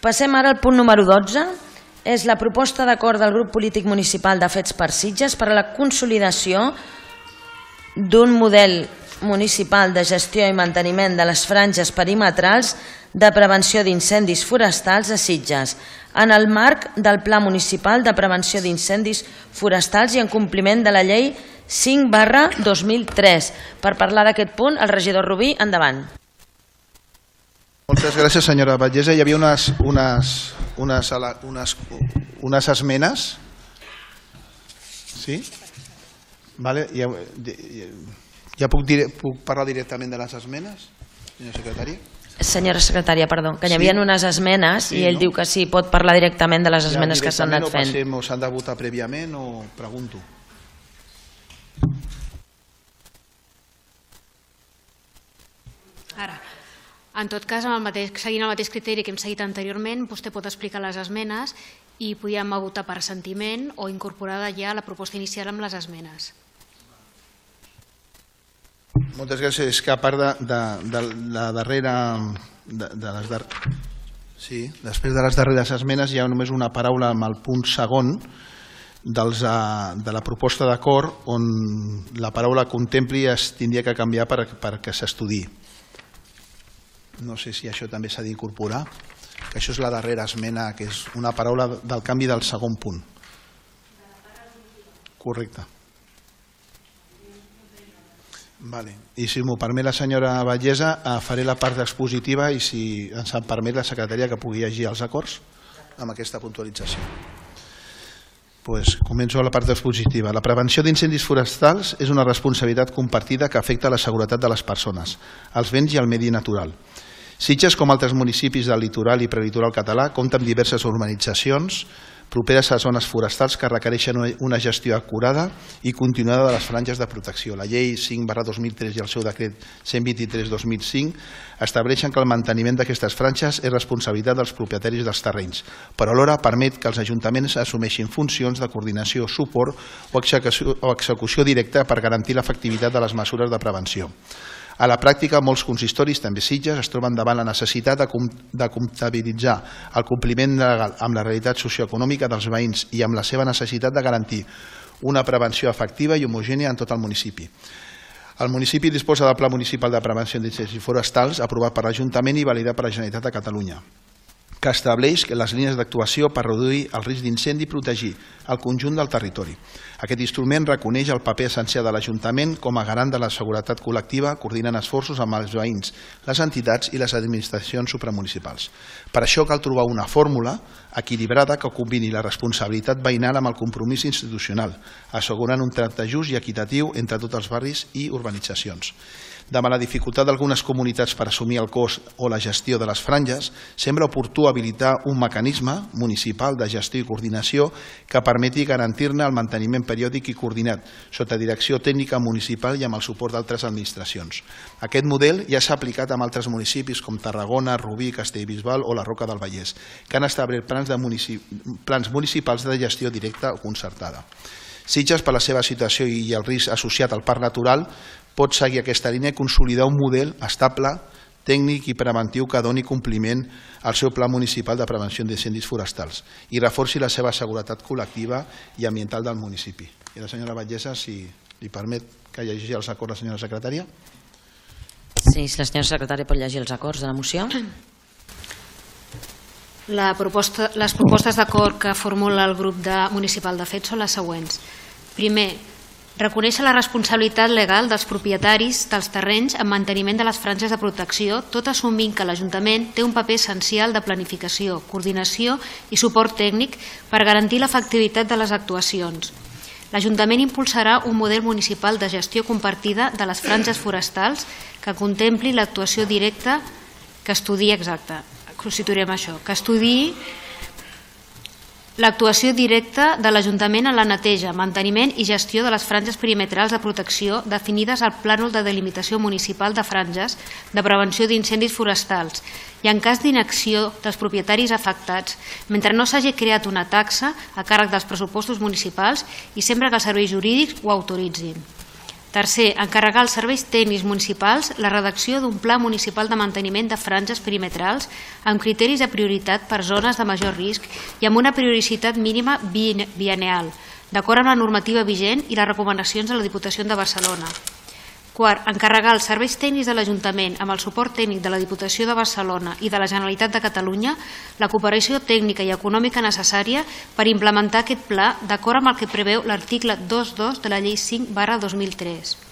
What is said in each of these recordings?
Passem ara al punt número 12. És la proposta d'acord del grup polític municipal de Fets per Sitges per a la consolidació d'un model municipal de gestió i manteniment de les franges perimetrals de prevenció d'incendis forestals a Sitges, en el marc del Pla Municipal de Prevenció d'Incendis Forestals i en compliment de la Llei 5/2003. Per parlar d'aquest punt, el regidor Rubí, endavant. Moltes gràcies, senyora Batllessa. Hi havia unes esmenes. Sí? Vale. Ja puc parlar directament de les esmenes, senyora secretària? Senyora secretària, perdó, que hi havia unes esmenes i ell diu que sí, pot parlar directament de les esmenes que s'han anat fent. O s'han de votar prèviament o pregunto? Ara, en tot cas, seguint el mateix criteri que hem seguit anteriorment, vostè pot explicar les esmenes i podíem votar per assentiment o incorporada ja la proposta inicial amb les esmenes. Moltes gràcies. És que a part de la darrera... Sí, després de les darreres esmenes hi ha només una paraula amb el punt segon de la proposta d'acord on la paraula contempli es tindria que canviar perquè s'estudiï. No sé si això també s'ha d'incorporar, que això és la darrera esmena, que és una paraula del canvi del segon punt. Correcte. I si m'ho permet la senyora Batllessa, faré la part expositiva i si ens en permet la secretaria que pugui llegir els acords amb aquesta puntualització. Començo la part expositiva. La prevenció d'incendis forestals és una responsabilitat compartida que afecta la seguretat de les persones, els béns i el medi natural. Sitges, com altres municipis del litoral i prelitoral català, compta amb diverses urbanitzacions properes a zones forestals que requereixen una gestió acurada i continuada de les franges de protecció. La llei 5/2003 i el seu decret 123/2005 estableixen que el manteniment d'aquestes franges és responsabilitat dels propietaris dels terrenys, però alhora permet que els ajuntaments assumeixin funcions de coordinació, suport o execució directa per garantir l'efectivitat de les mesures de prevenció. A la pràctica, molts consistoris, també Sitges, es troben davant la necessitat de comptabilitzar el compliment legal amb la realitat socioeconòmica dels veïns i amb la seva necessitat de garantir una prevenció efectiva i homogènia en tot el municipi. El municipi disposa del Pla Municipal de Prevenció d'Incendis Forestals aprovat per l'Ajuntament i validat per la Generalitat de Catalunya, que estableix les línies d'actuació per reduir el risc d'incendi i protegir el conjunt del territori. Aquest instrument reconeix el paper essencial de l'Ajuntament com a garant de la seguretat col·lectiva, coordinant esforços amb els veïns, les entitats i les administracions supramunicipals. Per això cal trobar una fórmula equilibrada que combini la responsabilitat veïnal amb el compromís institucional, assegurant un tracte just i equitatiu entre tots els barris i urbanitzacions. Davant la dificultat d'algunes comunitats per assumir el cost o la gestió de les franges, sembla oportú habilitar un mecanisme municipal de gestió i coordinació que permeti garantir-ne el manteniment periòdic i coordinat, sota direcció tècnica municipal i amb el suport d'altres administracions. Aquest model ja s'ha aplicat en altres municipis com Tarragona, Rubí, Castellbisbal o la Roca del Vallès, que han establert plans municipals de gestió directa o concertada. Sitges, per la seva situació i el risc associat al parc natural, pot seguir aquesta línia i consolidar un model estable, tècnic i preventiu que doni compliment al seu Pla Municipal de Prevenció d'Incendis Forestals i reforci la seva seguretat col·lectiva i ambiental del municipi. I la senyora Batllessa, si li permet que llegeixi els acords la senyora secretària. Sí, si la senyora secretària pot llegir els acords de la moció. Les propostes d'acord que formula el grup municipal de Fets són les següents. Primer, reconèixer la responsabilitat legal dels propietaris dels terrenys en manteniment de les franges de protecció, tot assumint que l'Ajuntament té un paper essencial de planificació, coordinació i suport tècnic per garantir l'efectivitat de les actuacions. L'Ajuntament impulsarà un model municipal de gestió compartida de les franges forestals que contempli l'actuació directa que estudiï l'actuació directa de l'Ajuntament en la neteja, manteniment i gestió de les franges perimetrals de protecció definides al Plànol de Delimitació Municipal de Franges de Prevenció d'Incendis Forestals i en cas d'inacció dels propietaris afectats, mentre no s'hagi creat una taxa a càrrec dels pressupostos municipals i sempre que els serveis jurídics ho autoritzin. Tercer, encarregar als serveis tècnics municipals la redacció d'un pla municipal de manteniment de franges perimetrals amb criteris de prioritat per zones de major risc i amb una periodicitat mínima bianual, d'acord amb la normativa vigent i les recomanacions de la Diputació de Barcelona. Quart, encarregar als serveis tècnics de l'Ajuntament amb el suport tècnic de la Diputació de Barcelona i de la Generalitat de Catalunya la cooperació tècnica i econòmica necessària per implementar aquest pla d'acord amb el que preveu l'article 2.2 de la Llei 5/2003.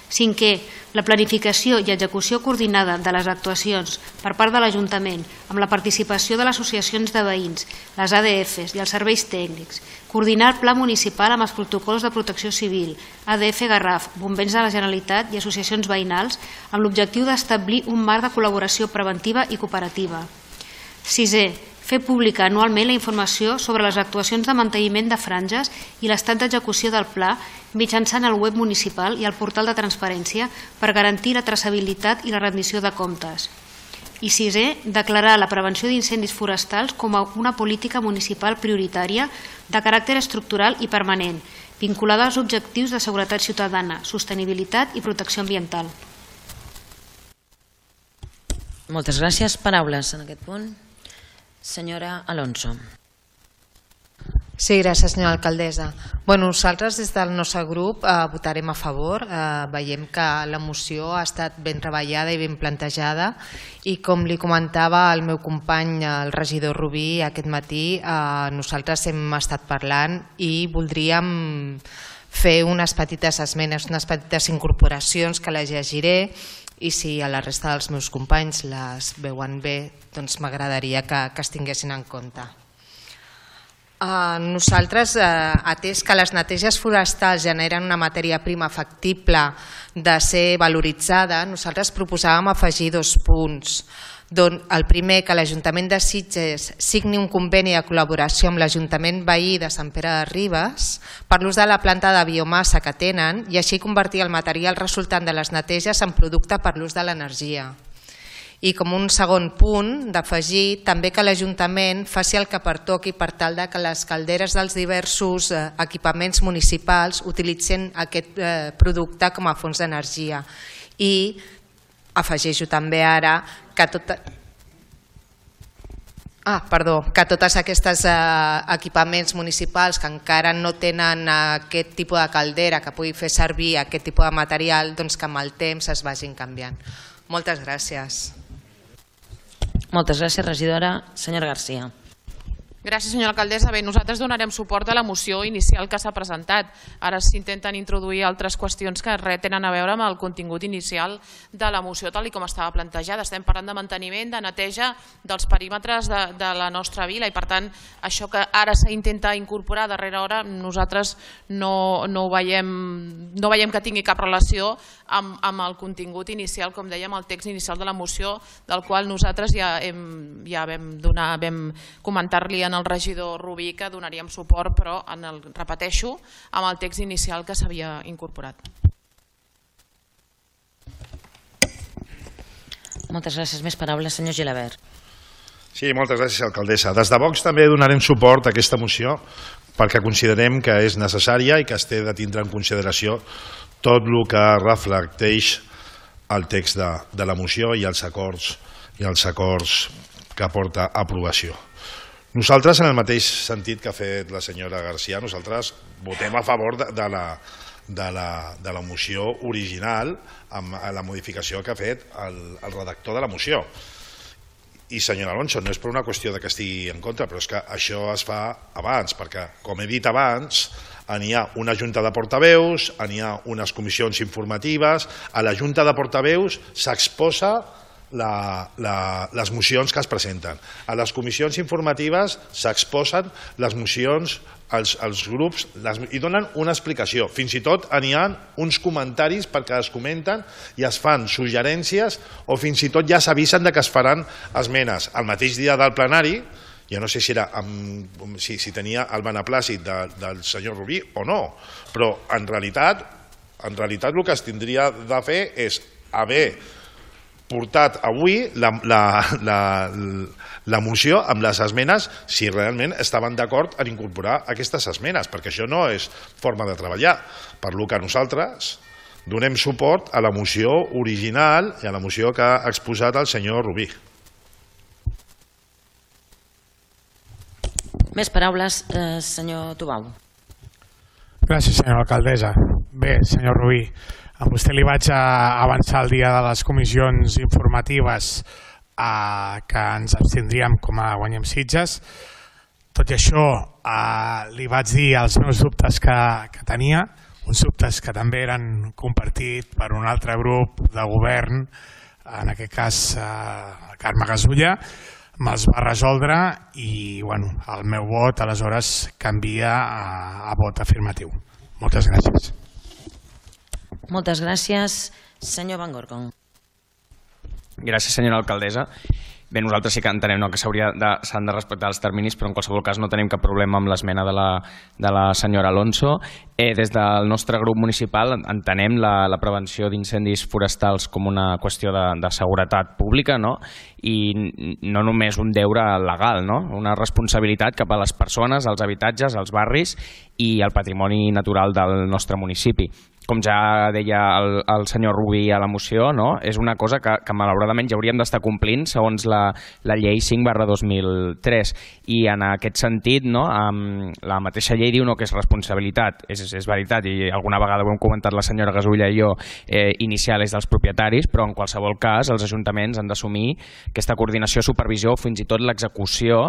Cinquè, la planificació i execució coordinada de les actuacions per part de l'Ajuntament amb la participació de les associacions de veïns, les ADFs i els serveis tècnics, coordinar el pla municipal amb els protocols de protecció civil, ADF Garraf, bombers de la Generalitat i associacions veïnals amb l'objectiu d'establir un marc de col·laboració preventiva i cooperativa. Sisè, fer pública anualment la informació sobre les actuacions de manteniment de franges i l'estat d'execució del pla mitjançant el web municipal i el portal de transparència per garantir la traçabilitat i la rendició de comptes. I sisè, declarar la prevenció d'incendis forestals com a una política municipal prioritària de caràcter estructural i permanent, vinculada als objectius de seguretat ciutadana, sostenibilitat i protecció ambiental. Moltes gràcies. Paraules en aquest punt. Senyora Alonso. Sí, gràcies, senyora alcaldessa. Nosaltres des del nostre grup votarem a favor. Veiem que la moció ha estat ben treballada i ben plantejada i com li comentava el meu company, el regidor Rubí, aquest matí, nosaltres hem estat parlant i voldríem fer unes petites esmenes, unes petites incorporacions que les llegiré i si a la resta dels meus companys les veuen bé, doncs m'agradaria que es tinguessin en compte. Nosaltres, atès que les neteges forestals generen una matèria prima factible de ser valoritzada, nosaltres proposàvem afegir 2 punts. El primer, que l'Ajuntament de Sitges signi un conveni de col·laboració amb l'Ajuntament veí de Sant Pere de Ribes per l'ús de la planta de biomassa que tenen i així convertir el material resultant de les neteges en producte per l'ús de l'energia. I com un segon punt d'afegir també que l'Ajuntament faci el que pertoqui per tal que les calderes dels diversos equipaments municipals utilitzin aquest producte com a fons d'energia. I afegeixo també ara que tots aquests equipaments municipals que encara no tenen aquest tipus de caldera que pugui fer servir aquest tipus de material, doncs que amb el temps es vagin canviant. Moltes gràcies. Moltes gràcies, regidora. Senyora Garcia. Gràcies, senyora alcaldessa. Bé, nosaltres donarem suport a la moció inicial que s'ha presentat. Ara s'intenten introduir altres qüestions que res tenen a veure amb el contingut inicial de la moció tal com estava plantejada. Estem parlant de manteniment, de neteja dels perímetres de la nostra vila i per tant això que ara s'intenta incorporar a darrera hora nosaltres no veiem que tingui cap relació amb el contingut inicial, com dèiem, el text inicial de la moció, del qual nosaltres ja vam comentar-li en el regidor Rubí que donaríem suport, però repeteixo, amb el text inicial que s'havia incorporat. Moltes gràcies. Més paraules, senyor Gilabert. Sí, moltes gràcies, alcaldessa. Des de Vox també donarem suport a aquesta moció perquè considerem que és necessària i que es té de tindre en consideració tot el que reflecteix el text de la moció i els acords que porta a aprovació. Nosaltres, en el mateix sentit que ha fet la senyora Garcia, nosaltres votem a favor de la moció original amb la modificació que ha fet el redactor de la moció. I senyora Alonso, no és per una qüestió que estigui en contra, però és que això es fa abans, perquè, com he dit abans, n'hi ha una junta de portaveus, n'hi ha unes comissions informatives, a la junta de portaveus s'exposa les mocions que es presenten. A les comissions informatives s'exposen les mocions als grups i donen una explicació. Fins i tot n'hi ha uns comentaris perquè es comenten i es fan suggerències o fins i tot ja s'avisen que es faran esmenes. El mateix dia del plenari, ja no sé si tenia el beneplàcit del senyor Rubí o no, però en realitat el que es tindria de fer és haver portat avui la moció amb les esmenes si realment estaven d'acord en incorporar aquestes esmenes, perquè això no és forma de treballar. Per lo que nosaltres donem suport a la moció original i a la moció que ha exposat el senyor Rubí. Més paraules, senyor Tubau. Gràcies, senyora alcaldessa. Bé, senyor Rubí, a vostè li vaig avançar el dia de les comissions informatives que ens abstindríem com a Guanyem Sitges. Tot i això, li vaig dir els meus dubtes que tenia, uns dubtes que també eren compartits per un altre grup de govern, en aquest cas Carme Gasulla, me'ls va resoldre i el meu vot aleshores canvia a vot afirmatiu. Moltes gràcies. Moltes gràcies, senyor Van Gorgon. Gràcies, senyora alcaldessa. Bé, nosaltres sí que entenem que s'han de respectar els terminis, però en qualsevol cas no tenim cap problema amb l'esmena de la senyora Alonso. Des del nostre grup municipal entenem la prevenció d'incendis forestals com una qüestió de seguretat pública, i no només un deure legal, una responsabilitat cap a les persones, als habitatges, als barris i al patrimoni natural del nostre municipi. Com ja deia el senyor Rubí a la moció, és una cosa que malauradament ja hauríem d'estar complint segons la llei 5/2003. I en aquest sentit, la mateixa llei diu que és responsabilitat, és veritat, i alguna vegada ho hem comentat la senyora Gasulla i jo, inicial és dels propietaris, però en qualsevol cas els ajuntaments han d'assumir aquesta coordinació, supervisió o fins i tot l'execució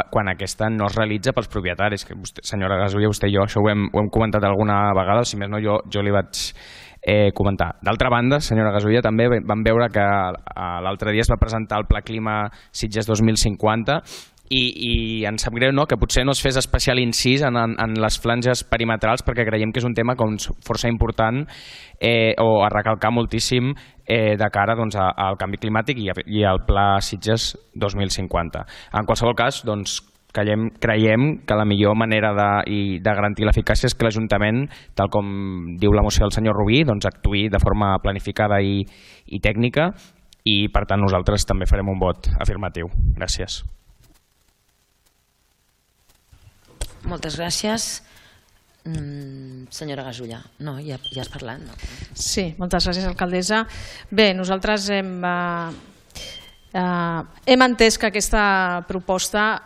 quan aquesta no es realitza pels propietaris. Senyora Gasulla, vostè i jo això ho hem comentat alguna vegada, si més no jo li vaig comentar. D'altra banda, senyora Gasulla, també vam veure que l'altre dia es va presentar el Pla Clima Sitges 2050 i ens sap greu que potser no es fes especial incís en les flanges perimetrals, perquè creiem que és un tema força important o a recalcar moltíssim de cara al canvi climàtic i al Pla Sitges 2050. En qualsevol cas, creiem que la millor manera de garantir l'eficàcia és que l'Ajuntament, tal com diu la moció del senyor Rubí, actuï de forma planificada i tècnica, i per tant nosaltres també farem un vot afirmatiu. Gràcies. Moltes gràcies. Senyora Gasulla, ja has parlat, no? Sí, moltes gràcies, alcaldessa. Bé, nosaltres hem entès que aquesta proposta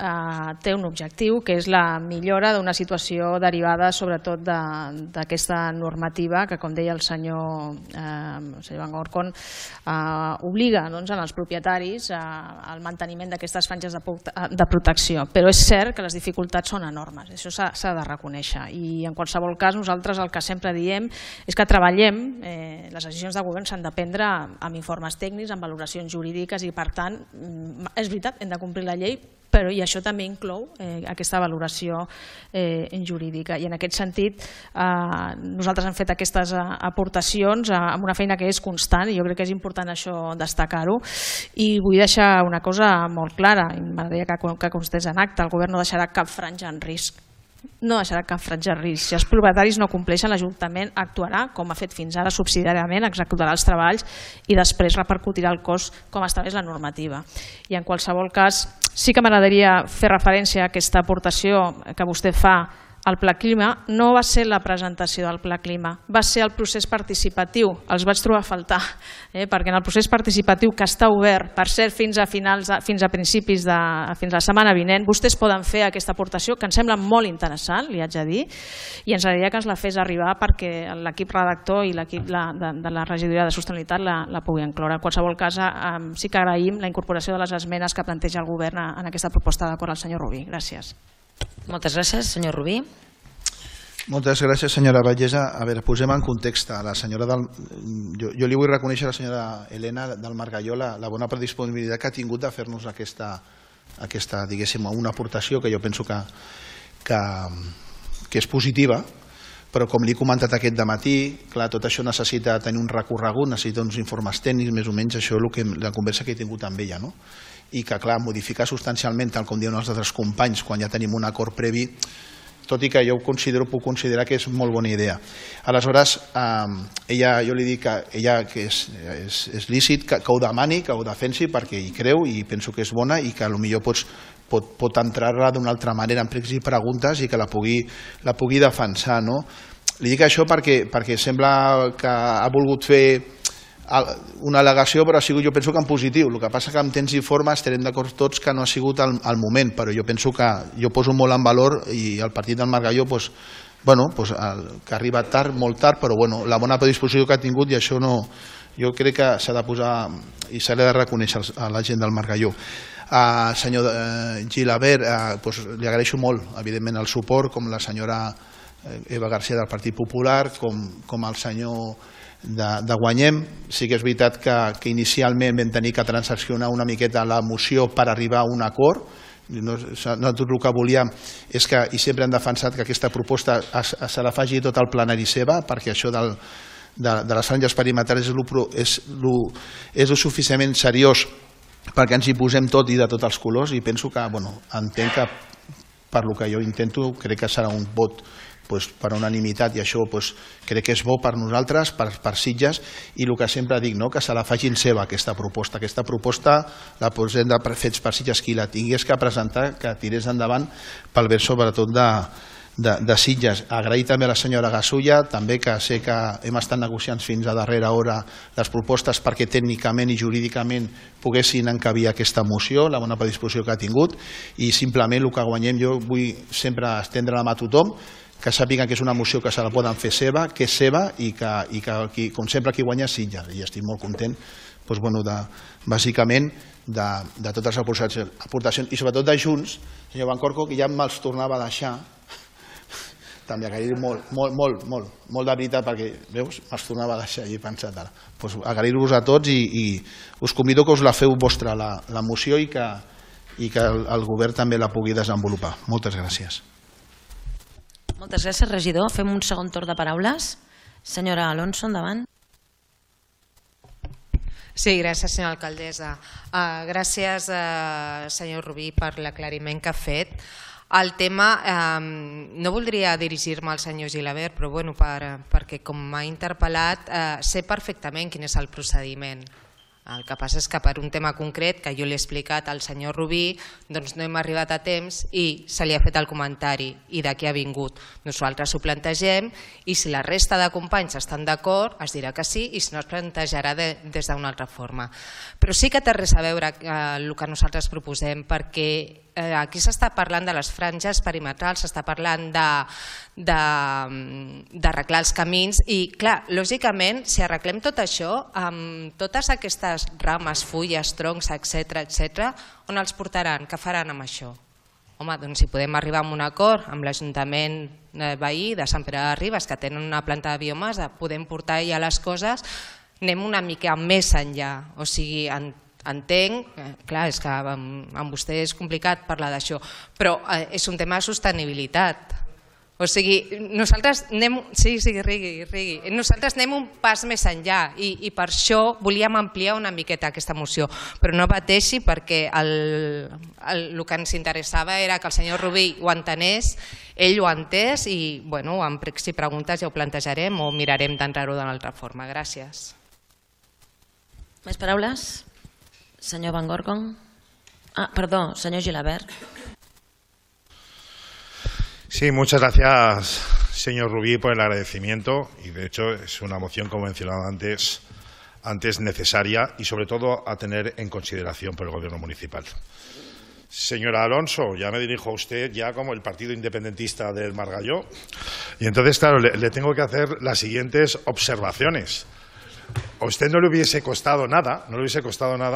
té un objectiu, que és la millora d'una situació derivada sobretot d'aquesta normativa que, com deia el senyor Van Gorgon, obliga als propietaris al manteniment d'aquestes franges de protecció. Però és cert que les dificultats són enormes, això s'ha de reconèixer, i en qualsevol cas nosaltres el que sempre diem és que treballem, les decisions de govern s'han de prendre amb informes tècnics, amb valoracions jurídiques, i per tant, és veritat, hem de complir la llei, però i això també inclou aquesta valoració jurídica, i en aquest sentit nosaltres hem fet aquestes aportacions amb una feina que és constant, i jo crec que és important això destacar-ho, i vull deixar una cosa molt clara, i m'agradaria que constés en acte: el govern no deixarà cap franja en risc. No deixarà cap franja en risc. Si els propietaris no compleixen, l'Ajuntament actuarà com ha fet fins ara subsidiàriament, executarà els treballs i després repercutirà el cost com estableix la normativa. I en qualsevol cas sí que m'agradaria fer referència a aquesta aportació que vostè fa al Pla Clima. No va ser la presentació del Pla Clima, va ser el procés participatiu. Els vaig trobar a faltar, perquè en el procés participatiu, que està obert, per cert, fins a principis fins la setmana vinent, vostès poden fer aquesta aportació, que em sembla molt interessant, li haig de dir, i ens agradaria que ens la fes arribar perquè l'equip redactor i l'equip de la regidoria de sostenibilitat la pugui incloure. En qualsevol cas, sí que agraïm la incorporació de les esmenes que planteja el govern en aquesta proposta d'acord al senyor Rubí. Gràcies. Moltes gràcies, senyor Rubí. Moltes gràcies, senyora Vallesa. A veure, posem en context. Jo li vull reconèixer a la senyora Helena del Margalló la bona predisponibilitat que ha tingut de fer-nos aquesta, diguéssim, una aportació que jo penso que és positiva, però com li he comentat aquest dematí, clar, tot això necessita tenir un recorregut, necessita uns informes tècnics, més o menys això és la conversa que he tingut amb ella, no? I que, clar, modificar substancialment, tal com diuen els altres companys, quan ja tenim un acord previ, tot i que jo puc considerar que és molt bona idea. Aleshores, jo li dic que és lícit que ho demani, que ho defensi, perquè hi creu i penso que és bona i que potser pot entrar-la d'una altra manera en pregs i preguntes i que la pugui defensar, no? Li dic això perquè sembla que ha volgut fer una al·legació, però ha sigut, jo penso que en positiu. El que passa que amb temps i forma estarem d'acord tots que no ha sigut el moment, però jo penso que jo poso molt en valor i el partit del Margalló que ha arribat tard, molt tard, però la bona predisposició que ha tingut, i això jo crec que s'ha de posar i s'ha de reconèixer a la gent del Margalló. Senyor Gilabert, li agraeixo molt, evidentment, el suport, com la senyora Eva García del Partit Popular, com el senyor de Guanyem. Sí que és veritat que inicialment vam tenir que transaccionar una miqueta la moció per arribar a un acord. Nosaltres el que volíem és que, i sempre hem defensat que aquesta proposta se la faci tot el plenari seva, perquè això de les franges perimetrals és lo suficientment seriós perquè ens hi posem tot i de tots els colors, i penso que, entenc que per lo que jo intento, crec que serà un vot per unanimitat, i això crec que és bo per nosaltres, per Sitges, i el que sempre dic, que se la facin seva aquesta proposta. Aquesta proposta la posem de Fets per Sitges, qui la tingués que presentar, que tirés endavant pel bé sobretot de Sitges. Agrair també a la senyora Gasulla, també, que sé que hem estat negociant fins a darrera hora les propostes perquè tècnicament i jurídicament poguessin encabir aquesta moció, la bona predisposició que ha tingut, i simplement el que guanyem, jo vull sempre estendre la mà a tothom, que sàpiguen que és una moció que se la poden fer seva, que és seva, i que, com sempre, qui guanya és Sitges. I estic molt content, bàsicament, de totes les aportacions, i sobretot de Junts, senyor Bancorco, que ja me'ls tornava a deixar, també agrair molt de veritat, perquè, veus, me'ls tornava a deixar i he pensat ara. Agrair-vos a tots i us convido que us la feu vostra, la moció, i que el govern també la pugui desenvolupar. Moltes gràcies. Moltes gràcies, regidor. Fem un segon torn de paraules. Senyora Alonso, endavant. Sí, gràcies, senyora alcaldessa. Gràcies, senyor Rubí, per l'aclariment que ha fet. El tema, no voldria dirigir-me al senyor Gilabert, però perquè com m'ha interpel·lat, sé perfectament quin és el procediment. El que passa és que per un tema concret que jo li he explicat al senyor Rubí, doncs no hem arribat a temps i se li ha fet el comentari, i d'aquí ha vingut. Nosaltres ho plantegem i si la resta de companys estan d'acord es dirà que sí, i si no es plantejarà des d'una altra forma. Però sí que té res a veure el que nosaltres proposem, perquè aquí s'està parlant de les franges perimetrals, s'està parlant d'arreglar els camins i, clar, lògicament, si arreglem tot això, amb totes aquestes rames, fulles, troncs, etc., on els portaran? Què faran amb això? Home, doncs si podem arribar a un acord amb l'Ajuntament veí de Sant Pere de Ribes, que tenen una planta de biomassa, podem portar ja les coses, anem una mica més enllà, o sigui, entenc, clar, és que amb vostè és complicat parlar d'això, però és un tema de sostenibilitat. O sigui, nosaltres anem... Sí, rigui. Nosaltres anem un pas més enllà i per això volíem ampliar una miqueta aquesta moció, però no pateixi perquè el que ens interessava era que el senyor Rubí ho entenés, ell ho ha entès i, bueno, amb pregs i preguntes ja ho plantejarem o mirarem d'entrar-ho d'una altra forma. Gràcies. Més paraules? Senyor Van Gorgon. Perdó, señor Gilabert. Sí, muchas gracias, señor Rubí, por el agradecimiento, y de hecho es una moción, como mencionaba antes necesaria y sobre todo a tener en consideración por el Gobierno municipal. Señora Alonso, ya me dirijo a usted ya como el partido independentista del Margalló, y entonces, claro, le tengo que hacer las siguientes observaciones. A usted no le hubiese costado nada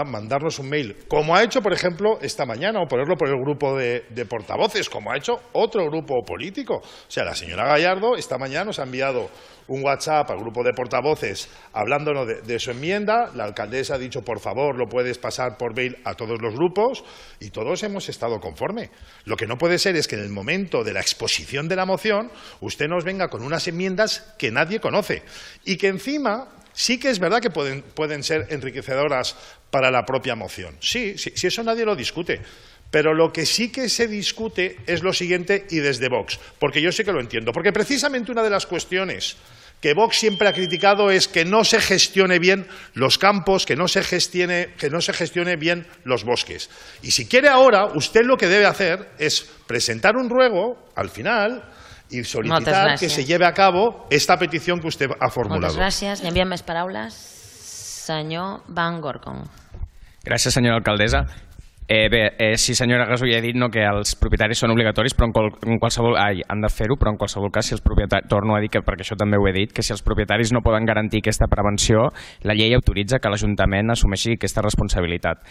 mandarnos un mail, como ha hecho, por ejemplo, esta mañana, o ponerlo por el grupo de portavoces, como ha hecho otro grupo político. O sea, la señora Gallardo esta mañana nos ha enviado un WhatsApp al grupo de portavoces hablándonos de su enmienda. La alcaldesa ha dicho, por favor, lo puedes pasar por mail a todos los grupos, y todos hemos estado conforme. Lo que no puede ser es que en el momento de la exposición de la moción usted nos venga con unas enmiendas que nadie conoce y que encima... Sí que es verdad que pueden ser enriquecedoras para la propia moción. Sí, eso nadie lo discute. Pero lo que sí que se discute es lo siguiente, y desde Vox, porque yo sé que lo entiendo. Porque precisamente una de las cuestiones que Vox siempre ha criticado es que no se gestione bien los campos, que no se gestione bien los bosques. Y si quiere ahora, usted lo que debe hacer es presentar un ruego al final y solicitar que se lleve a cabo esta petición que usted ha formulado. Moltes gràcies. Hi havia més paraules? Senyor Van Gorkom. Gràcies, senyora alcaldessa. Sí, senyora Gasull, he dit que els propietaris són obligatoris, però en qualsevol han de fer-ho, però en qualsevol cas, si els propietaris, torno a dir, perquè això també ho he dit, que si els propietaris no poden garantir aquesta prevenció, la llei autoritza que l'Ajuntament assumeixi aquesta responsabilitat.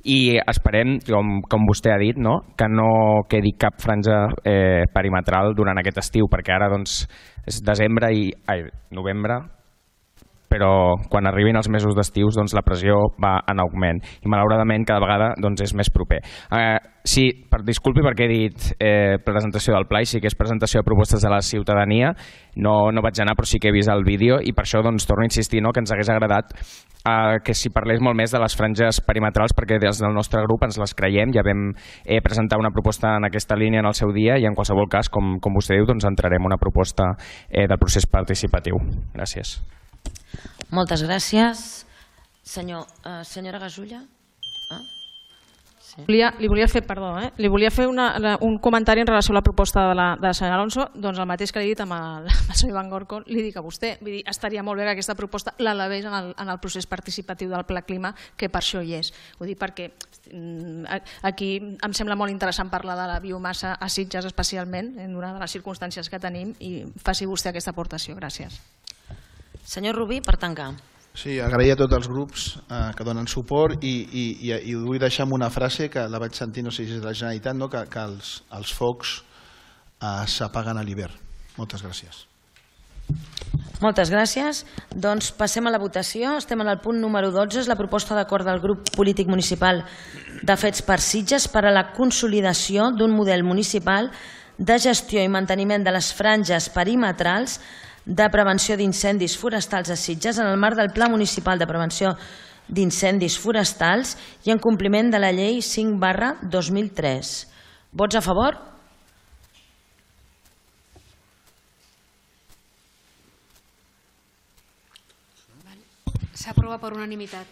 I esperem, com vostè ha dit, que no quedi cap franja perimetral durant aquest estiu, perquè ara és novembre, però quan arribin els mesos d'estius la pressió va en augment i malauradament cada vegada és més proper. Sí, disculpi perquè he dit presentació del pla i sí que és presentació de propostes de la ciutadania, no vaig anar però sí que he vist el vídeo i per això torno a insistir que ens hagués agradat que s'hi parlés molt més de les franges perimetrals perquè des del nostre grup ens les creiem, ja vam presentar una proposta en aquesta línia en el seu dia i en qualsevol cas, com vostè diu, entrarem una proposta del procés participatiu. Gràcies. Moltes gràcies. Senyora Gasulla? Li volia fer un comentari en relació a la proposta de la senyora Alonso. Doncs el mateix que li he dit amb el senyor Van Gorkom, li dic a vostè. Estaria molt bé que aquesta proposta l'elevés en el procés participatiu del Pla Clima, que per això hi és. Ho dic perquè aquí em sembla molt interessant parlar de la biomassa a Sitges especialment, en una de les circumstàncies que tenim, i faci vostè aquesta aportació. Gràcies. Senyor Rubí, per tancar. Sí, agrair a tots els grups que donen suport i ho vull deixar amb una frase que la vaig sentir, no sé si és de la Generalitat, que els focs s'apaguen a l'hivern. Moltes gràcies. Moltes gràcies. Doncs passem a la votació. Estem en el punt número 12, és la proposta d'acord del grup polític municipal de Fets per Sitges per a la consolidació d'un model municipal de gestió i manteniment de les franges perimetrals de prevenció d'incendis forestals a Sitges en el marc del Pla Municipal de Prevenció d'Incendis Forestals i en compliment de la Llei 5/2003. Vots a favor? S'aprova per unanimitat.